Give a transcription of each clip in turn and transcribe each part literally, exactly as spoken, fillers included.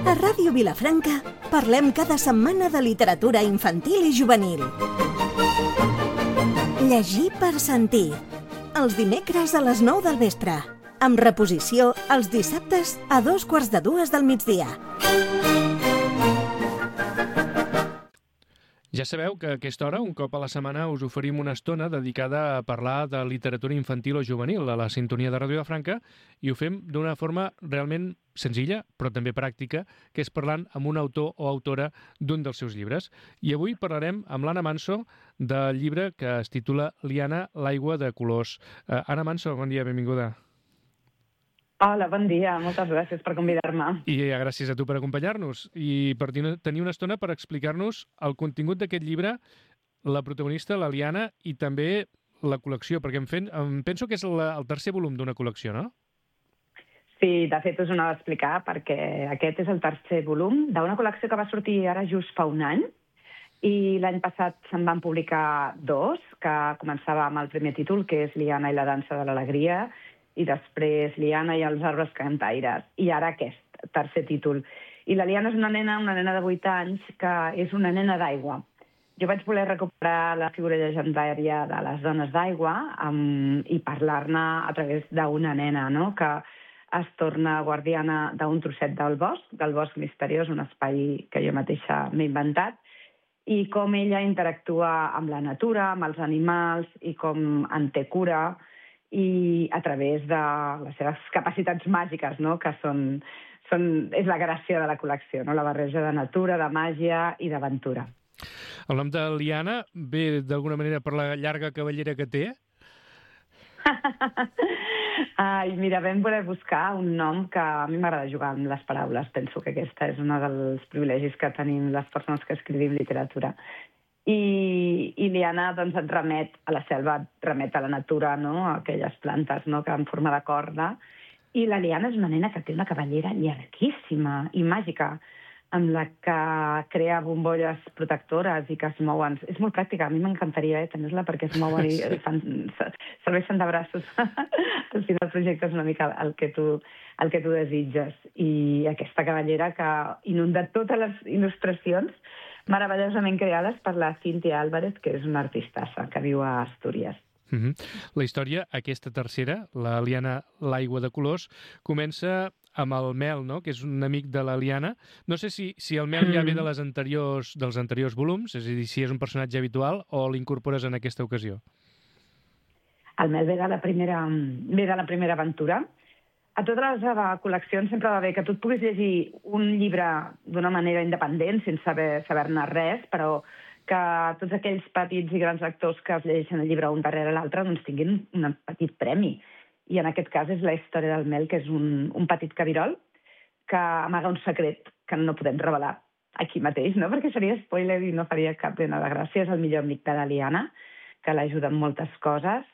A Ràdio Vilafranca parlem cada setmana de literatura infantil i juvenil. Llegir per sentir. Els dimecres a les nou del vespre. Amb reposició els dissabtes a dos quarts de dues del migdia. Ja sabeu que a aquesta hora, un cop a la setmana, us oferim una estona dedicada a parlar de literatura infantil o juvenil a la sintonia de Ràdio Vilafranca, i ho fem d'una forma realment senzilla, però també pràctica, que és parlant amb un autor o autora d'un dels seus llibres. I avui parlarem amb l'Anna Manso del llibre que es titula Liana, l'aigua de colors. Uh, Anna Manso, bon dia, benvinguda. Hola, bon dia. Moltes gràcies per convidar-me. I gràcies a tu per acompanyar-nos i per tenir una estona per explicar-nos el contingut d'aquest llibre, la protagonista, la Liana, i també la col·lecció, perquè em, fent, em penso que és la, el tercer volum d'una col·lecció, no? Sí, de fet us ho anava a explicar, perquè aquest és el tercer volum d'una col·lecció que va sortir ara just fa un any, i l'any passat se'n van publicar dos, que començava amb el primer títol, que és Liana i la dansa de l'alegria, i després Liana i els arbres cantaires, i ara aquest tercer títol. I la Liana és una nena, una nena de vuit anys, que és una nena d'aigua. Jo vaig voler recuperar la figura llegendària de les dones d'aigua um, i parlar-ne a través d'una nena, no?, que es torna guardiana d'un trosset del bosc, del bosc misteriós, un espai que jo mateixa m'he inventat, i com ella interactua amb la natura, amb els animals, i com en té cura, i a través de les seves capacitats màgiques, no?, que són, són, és la gràcia de la col·lecció, no?, la barreja de natura, de màgia i d'aventura. El nom de Liana ve d'alguna manera per la llarga cabellera que té? Ai, mira, vam voler buscar un nom que a mi m'agrada jugar amb les paraules. Penso que aquesta és un dels privilegis que tenim les persones que escrivim literatura. I, i Liana, doncs, et remet a la selva, et remet a la natura, no?, a aquelles plantes, no?, que en forma de corda. I la Liana és una nena que té una cabellera llarguíssima i màgica, amb la que crea bombolles protectores i que es mouen. És molt pràctica, a mi m'encantaria eh, tenir-la perquè es mouen i fan, serveixen de braços. Al final el projecte és una mica el que tu, el que tu desitges. I aquesta cabellera que inunda totes les il·lustracions meravellosament creades per la Cíntia Álvarez, que és una artistassa que viu a Astúries. Uh-huh. La història, aquesta tercera, la Liana, l'aigua de colors, comença amb el Mel, no?, que és un amic de la Liana. No sé si, si el Mel ja ve de les anteriors, dels anteriors volums, és a dir, si és un personatge habitual o l'incorpores en aquesta ocasió. El Mel ve de la primera, ve de la primera aventura. A totes les col·leccions sempre va bé que tu et puguis llegir un llibre d'una manera independent, sense saber, saber-ne res, però que tots aquells petits i grans lectors que es llegeixen el llibre un darrere l'altre doncs tinguin un petit premi. I en aquest cas és la història del Mel, que és un, un petit cabirol que amaga un secret que no podem revelar aquí mateix, no?, perquè seria spoiler i no faria cap mena de gràcia. És el millor amic de la Liana, que l'ajuda en moltes coses.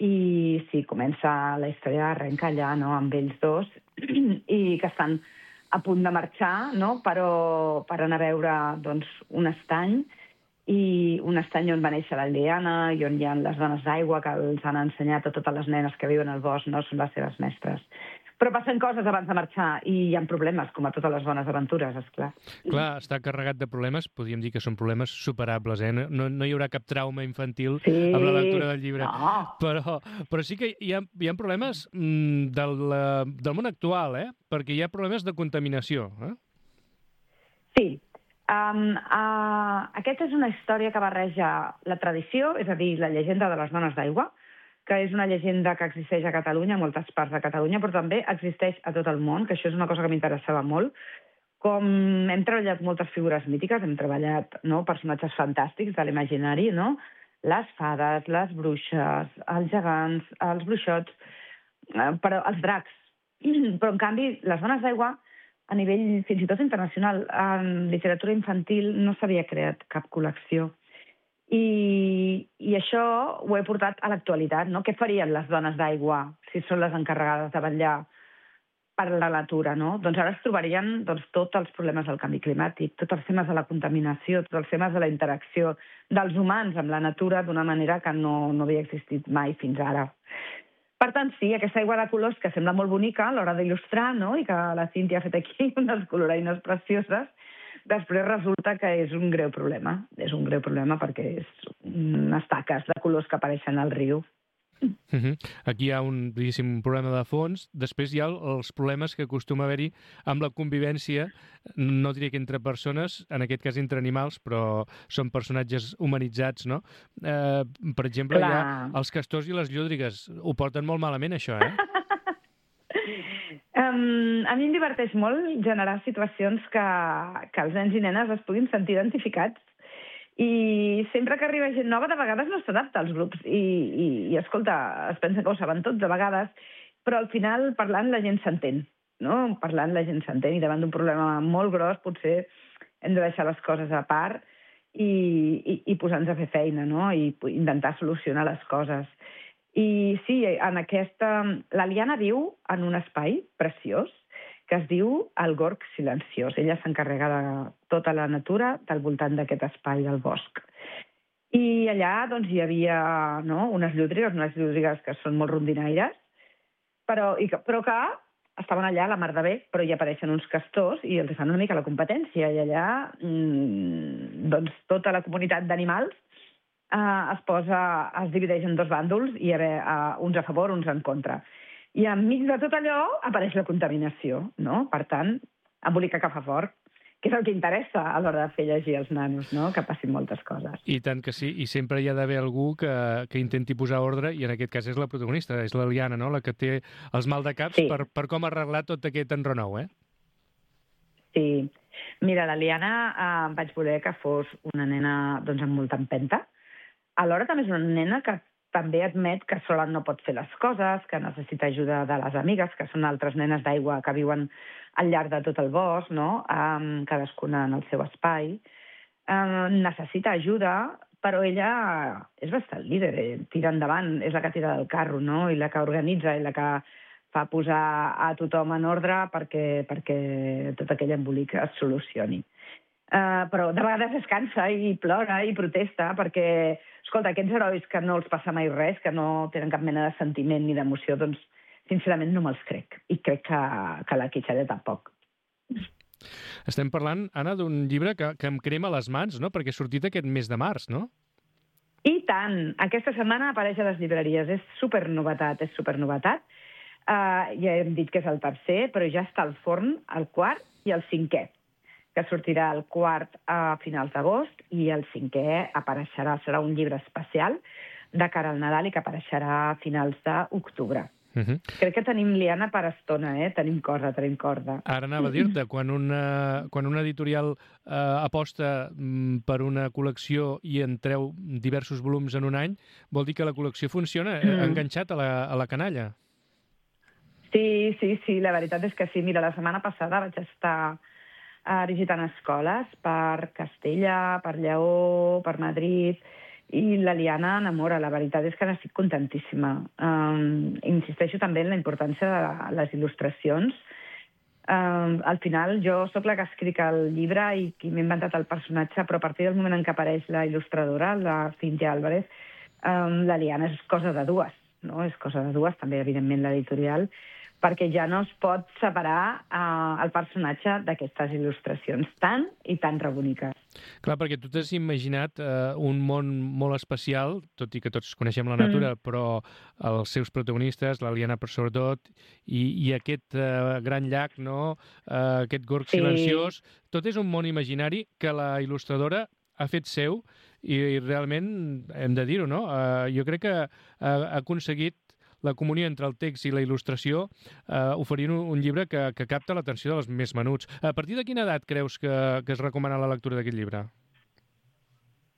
I sí, comença la història, arrenca allà, no?, amb ells dos, i que estan a punt de marxar, no?, però per anar a veure, doncs, un estany, i un estany on va néixer la Liana i on hi ha les dones d'aigua que els han ensenyat a totes les nenes que viuen al bosc, no?, són les seves mestres. Però passen coses abans de marxar i hi ha problemes, com a totes les bones aventures, esclar. Clar, està carregat de problemes, podríem dir que són problemes superables, eh? No, no hi haurà cap trauma infantil sí, amb la lectura del llibre. No. Però, però sí que hi ha, hi ha problemes mm, del, del món actual, eh? Perquè hi ha problemes de contaminació. Eh? Sí. Um, uh, aquesta és una història que barreja la tradició, és a dir, la llegenda de les dones d'aigua, que és una llegenda que existeix a Catalunya, a moltes parts de Catalunya, però també existeix a tot el món, que això és una cosa que m'interessava molt. Com hem treballat moltes figures mítiques, hem treballat, no?, personatges fantàstics de l'imaginari, no?, les fades, les bruixes, els gegants, els bruixots, eh, però els dracs. Però, en canvi, les dones d'aigua, a nivell fins i tot internacional, en literatura infantil no s'havia creat cap col·lecció. I, i això ho he portat a l'actualitat, no? Què farien les dones d'aigua si són les encarregades de vetllar per la natura, no? Doncs ara es trobarien doncs, tots els problemes del canvi climàtic, tots els temes de la contaminació, tots els temes de la interacció dels humans amb la natura d'una manera que no, no havia existit mai fins ara. Per tant, sí, aquesta aigua de colors que sembla molt bonica a l'hora d'il·lustrar, no?, i que la Cíntia ha fet aquí unes coloraïnes precioses, després resulta que és un greu problema. És un greu problema perquè és unes taques de colors que apareixen al riu. Uh -huh. Aquí hi ha un, diguéssim, problema de fons. Després hi ha els problemes que acostuma a haver-hi amb la convivència, no diré que entre persones, en aquest cas entre animals, però són personatges humanitzats, no? Eh, per exemple, Clar. hi ha els castors i les llúdrigues. Ho porten molt malament, això, eh? um, a mi em diverteix molt generar situacions que, que els nens i nenes es puguin sentir identificats. I sempre que arriba gent nova, de vegades no s'adapta als grups. I, i, i escolta, es pensa que ho saben tots de vegades, però al final, parlant, la gent s'entén, no? Parlant, la gent s'entén, i davant d'un problema molt gros, potser hem de deixar les coses a part i, i, i posar-nos a fer feina, no? I intentar solucionar les coses. I sí, en aquesta... La Liana viu en un espai preciós, que es diu el Gorg Silenciós. Ella s'encarrega de tota la natura del voltant d'aquest espai del bosc. I allà doncs, hi havia no, unes llúdrigues, unes llúdrigues que són molt rondinaires, però, i que, però que estaven allà a la mar de bé, però hi apareixen uns castors i els fan una mica la competència. I allà mmm, doncs, tota la comunitat d'animals eh, es posa, es divideix en dos bàndols i hi ha eh, uns a favor, uns en contra. I enmig de tot allò apareix la contaminació, no? Per tant, embolicar que fa fort, que és el que interessa a l'hora de fer llegir als nanos, no? Que passin moltes coses. I tant que sí, i sempre hi ha d'haver algú que, que intenti posar ordre, i en aquest cas és la protagonista, és la Liana, no?, la que té els maldecaps sí. per, per com arreglar tot aquest enrenou, eh? Sí. Mira, la Liana eh, vaig voler que fos una nena doncs, amb molta empenta. Alhora també és una nena que també admet que sola no pot fer les coses, que necessita ajuda de les amigues, que són altres nenes d'aigua que viuen al llarg de tot el bosc, no? um, cadascuna en el seu espai. Um, necessita ajuda, però ella és bastant líder, eh? Tira endavant, és la que tira del carro, no? I la que organitza, i la que fa posar a tothom en ordre perquè, perquè tot aquell embolic es solucioni. Uh, però de vegades es cansa i plora i protesta perquè, escolta, aquests herois que no els passa mai res, que no tenen cap mena de sentiment ni d'emoció, doncs, sincerament, no me'ls crec. I crec que, que la Quitxalla tampoc. Estem parlant, Anna, d'un llibre que, que em crema les mans, no?, perquè ha sortit aquest mes de març, no? I tant! Aquesta setmana apareix a les llibreries. És supernovetat, és supernovetat. Uh, ja hem dit que és el tercer, però ja està al forn el quart i el cinquè, que sortirà el quart a finals d'agost i el cinquè apareixerà, serà un llibre especial de cara al Nadal i que apareixerà a finals d'octubre. Uh -huh. Crec que tenim liana per estona, eh? Tenim corda, tenim corda. Ara anava a dir-te, quan una, quan una editorial eh, aposta mm, per una col·lecció i en treu diversos volums en un any, vol dir que la col·lecció funciona, mm. ha enganxat a la, a la canalla. Sí, sí, sí, la veritat és que sí. Mira, la setmana passada vaig estar Uh, visitant escoles per Castella, per Lleó, per Madrid, i la Liana enamora. La veritat és que n'estic contentíssima. Um, insisteixo també en la importància de les il·lustracions. Um, al final, jo sóc la que escric el llibre i qui m'he inventat el personatge, però a partir del moment en què apareix la il·lustradora, la Cíntia Álvarez, um, la Liana és cosa de dues, no? És cosa de dues, també, evidentment, l'editorial, perquè ja no es pot separar eh, el personatge d'aquestes il·lustracions tan i tan reboniques. Clar, perquè tu t'has imaginat eh, un món molt especial, tot i que tots coneixem la natura, mm. però els seus protagonistes, la Liana per sobretot, i, i aquest eh, gran llac, no? eh, aquest gorg sí. silenciós, tot és un món imaginari que la il·lustradora ha fet seu i, i realment hem de dir-ho, no? Eh, jo crec que ha, ha aconseguit la comunió entre el text i la il·lustració eh, oferint un, un llibre que, que capta l'atenció dels més menuts. A partir de quina edat creus que, que es recomana la lectura d'aquest llibre?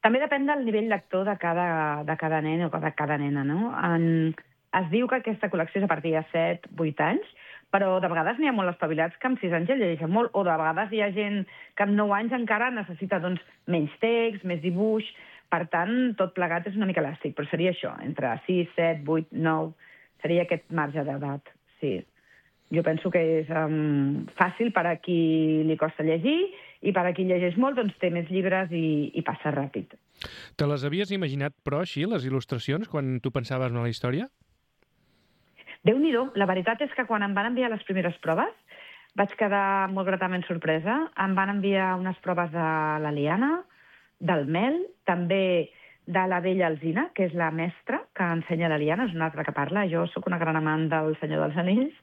També depèn del nivell lector de cada, de cada nen o de cada nena, no? En, es diu que aquesta col·lecció és a partir de set vuit anys, però de vegades n'hi ha molt espavilats que amb sis anys ja llegeixen molt, o de vegades hi ha gent que amb nou anys encara necessita doncs, menys text, més dibuix. Per tant, tot plegat és una mica elàstic, però seria això, entre sis, set, vuit, nou... Seria aquest marge d'edat, sí. Jo penso que és um, fàcil per a qui li costa llegir i per a qui llegeix molt, doncs té més llibres i, i passa ràpid. Te les havies imaginat, però, així, les il·lustracions, quan tu pensaves en la història? Déu-n'hi-do, la veritat és que quan em van enviar les primeres proves vaig quedar molt gratament sorpresa. Em van enviar unes proves de la Liana, del Mel, també de la vella Alzina, que és la mestra que ensenya la Liana, és un arbre que parla. Jo sóc una gran amant del Senyor dels Anells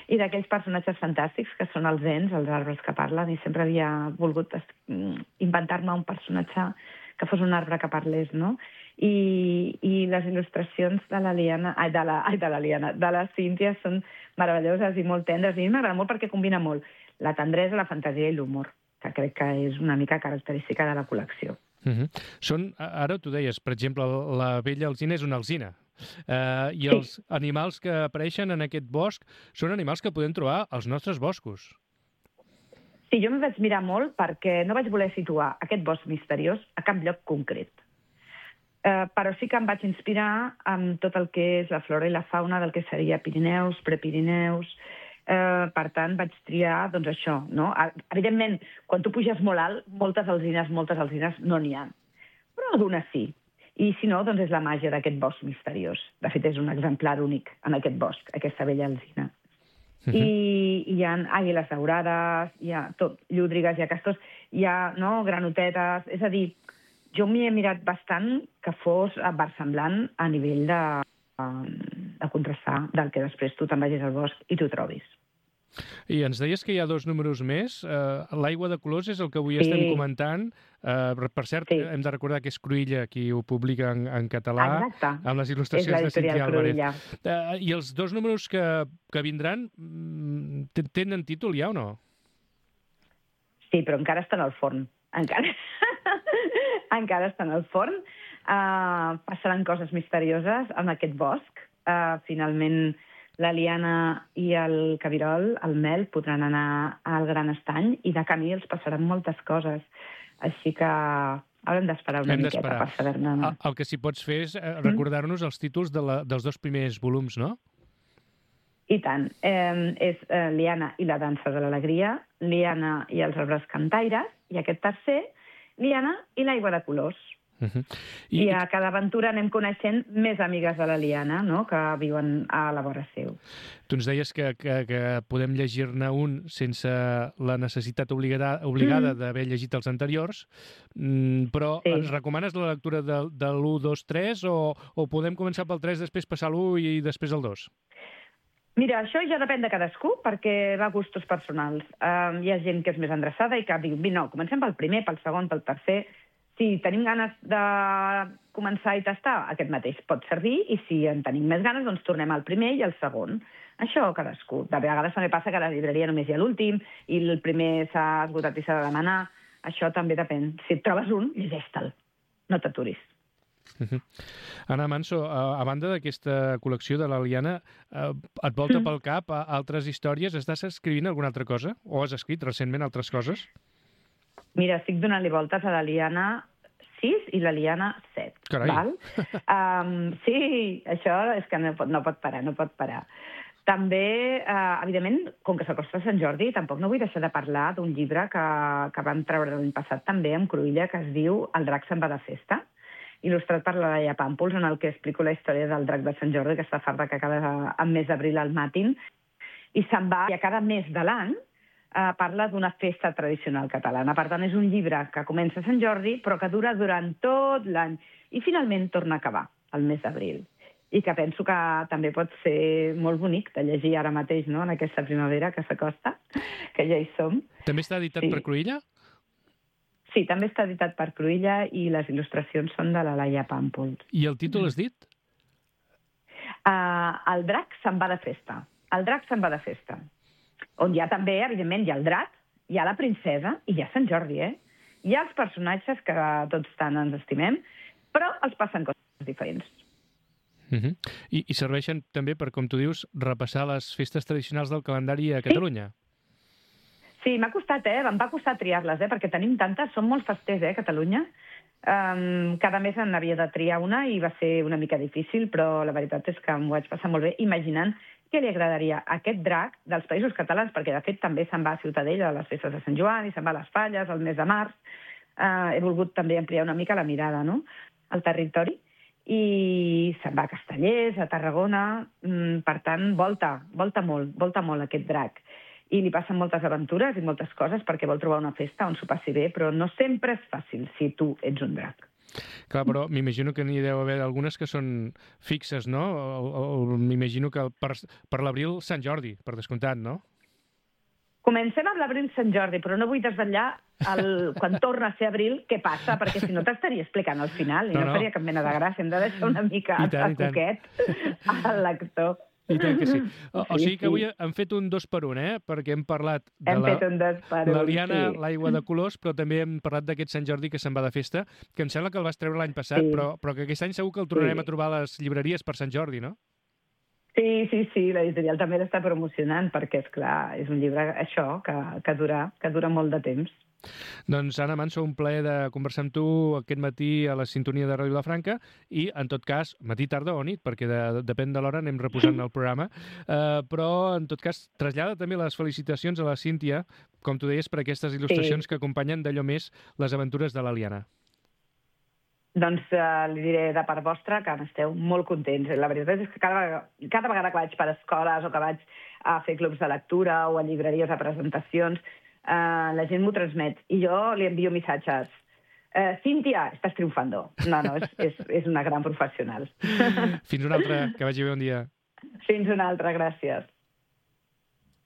i d'aquells personatges fantàstics que són els ens, els arbres que parlen, i sempre havia volgut inventar-me un personatge que fos un arbre que parlés, no? I, i les il·lustracions de la Liana, ai, de la, ai, de la Liana, de la Cíntia són meravelloses i molt tendres, i a mi m'agrada molt perquè combina molt la tendresa, la fantasia i l'humor, que crec que és una mica característica de la col·lecció. Uh -huh. Són, ara tu deies, per exemple, la vella alzina és una alzina, uh, i els sí. animals que apareixen en aquest bosc són animals que podem trobar als nostres boscos. Sí, jo m'hi vaig mirar molt perquè no vaig voler situar aquest bosc misteriós a cap lloc concret. Uh, però sí que em vaig inspirar amb tot el que és la flora i la fauna del que seria Pirineus, Prepirineus. Uh, per tant, vaig triar, doncs, això, no? Evidentment, quan tu puges molt alt, moltes alzines, moltes alzines no n'hi ha. Però algunes sí. I si no, doncs és la màgia d'aquest bosc misteriós. De fet, és un exemplar únic en aquest bosc, aquesta vella alzina. Uh -huh. I, i hi ha àguiles daurades, hi ha tot, llúdrigues, hi ha castors, hi ha, no, granotetes. És a dir, jo m'hi he mirat bastant que fos versemblant a nivell de, de contrastar del que després tu te'n vagis al bosc i t'ho trobis. I ens deies que hi ha dos números més. Uh, L'aigua de colors és el que avui sí. estem comentant. Uh, per cert, sí. hem de recordar que és Cruïlla qui ho publica en, en català. Exacte. Amb les il·lustracions de Cíntia Álvarez. Uh, I els dos números que, que vindran tenen títol ja o no? Sí, però encara estan al forn. Encara, encara estan al forn. Uh, passaran coses misterioses en aquest bosc. Uh, finalment, la Liana i el Cabirol, el Mel, podran anar al Gran Estany i de camí els passaran moltes coses. Així que haurem d'esperar una Hem miqueta per saber-ne. El, el que sí pots fer és recordar-nos els títols de la, dels dos primers volums, no? I tant. Eh, és eh, Liana i la dansa de l'alegria, Liana i els arbres cantaires, i aquest tercer, Liana i l'aigua de colors. Uh -huh. I, I a cada aventura anem coneixent més amigues de la Liana, no?, que viuen a la vora seu. Tu ens deies que, que, que podem llegir-ne un sense la necessitat obligada, obligada mm. d'haver llegit els anteriors, però sí. ens recomanes la lectura de, de l'u, dos, tres o, o podem començar pel tres, després passar l'u i després el dos? Mira, això ja depèn de cadascú, perquè va a gustos personals. Um, hi ha gent que és més endreçada i que diu, no, comencem pel primer, pel segon, pel tercer. Si tenim ganes de començar i tastar, aquest mateix pot servir, i si en tenim més ganes, doncs tornem al primer i al segon. Això cadascú. De vegades també passa que a la llibreria només hi ha l'últim i el primer s'ha esgotat i s'ha de demanar. Això també depèn. Si et trobes un, llegeix-te'l. No t'aturis. Uh-huh. Anna Manso, a, a banda d'aquesta col·lecció de la Liana, eh, et volta mm. pel cap a altres històries? Estàs escrivint alguna altra cosa? O has escrit recentment altres coses? Mira, estic donant-li voltes a la Liana sis i la Liana set. Carai! Val? Um, sí, això és que no pot, no pot parar, no pot parar. També, eh, evidentment, com que s'acosta Sant Jordi, tampoc no vull deixar de parlar d'un llibre que, que vam treure l'any passat també amb Cruïlla, que es diu El drac se'n va de festa, il·lustrat per la Laia Pàmpols, en el que explico la història del drac de Sant Jordi, que està farta que cada en mes d'abril al matin, i se'n va, i a cada mes de l'any eh, parla d'una festa tradicional catalana. Per tant, és un llibre que comença a Sant Jordi, però que dura durant tot l'any, i finalment torna a acabar, al mes d'abril. I que penso que també pot ser molt bonic de llegir ara mateix, no?, en aquesta primavera que s'acosta, que ja hi som. També està editat sí. per Cruïlla? Sí, també està editat per Cruïlla i les il·lustracions són de la Laia Pàmpols. I el títol has dit? Uh, el drac se'n va de festa. El drac se'n va de festa. On hi ha també, evidentment, hi ha el drac, hi ha la princesa i hi ha Sant Jordi, eh? Hi ha els personatges que tots tant ens estimem, però els passen coses diferents. Uh -huh. I, I serveixen també per, com tu dius, repassar les festes tradicionals del calendari a Catalunya. Sí. Sí, m'ha costat, eh? Em va costar triar-les, eh? Perquè tenim tantes, són molt festers, eh, Catalunya. Um, cada mes en havia de triar una i va ser una mica difícil, però la veritat és que m'ho vaig passar molt bé imaginant què li agradaria a aquest drac dels Països Catalans, perquè de fet també se'n va a Ciutadella a les festes de Sant Joan i se'n va a les Falles al mes de març. Uh, he volgut també ampliar una mica la mirada, no?, al territori. i se'n va a Castellers, a Tarragona, per tant, volta, volta molt, volta molt aquest drac. I li passen moltes aventures i moltes coses perquè vol trobar una festa on s'ho passi bé, però no sempre és fàcil si tu ets un drac. Clar, però m'imagino que n'hi deu haver algunes que són fixes, no? M'imagino que per, per l'abril Sant Jordi, per descomptat, no? Comencem amb l'abril Sant Jordi, però no vull desvetllar el, quan torna a ser abril què passa, perquè si no t'estaria explicant al final i no, no, no faria cap mena de gràcia. Hem de deixar una mica a coquet al lector. I tant que sí. O, o sigui que avui hem fet un dos per un, eh? Perquè hem parlat de hem la, fet un dos per un, la liana, sí. l'aigua de colors, però també hem parlat d'aquest Sant Jordi que se'n va de festa, que em sembla que el vas treure l'any passat, sí. però, però que aquest any segur que el tornarem sí. a trobar a les llibreries per Sant Jordi, no? Sí, sí, sí, l'editorial també l'està promocionant, perquè, és clar, és un llibre, això, que, que, dura, que dura molt de temps. Doncs, Anna Manso, un plaer de conversar amb tu aquest matí a la sintonia de Ràdio Vilafranca i, en tot cas, matí, tarda o nit, perquè de, depèn de l'hora anem reposant el programa, uh, però, en tot cas, trasllada també les felicitacions a la Cíntia, com tu deies, per aquestes il·lustracions sí. que acompanyen d'allò més les aventures de l'Aliana. Doncs uh, li diré de part vostra que n'esteu molt contents. La veritat és que cada vegada, cada vegada que vaig per escoles o que vaig a fer clubs de lectura o a llibreries, a presentacions, uh, la gent m'ho transmet. I jo li envio missatges. Uh, Cíntia, estàs triomfando. No, no, és, és, és una gran professional. Fins una altra, que vagi bé un dia. Fins una altra, gràcies.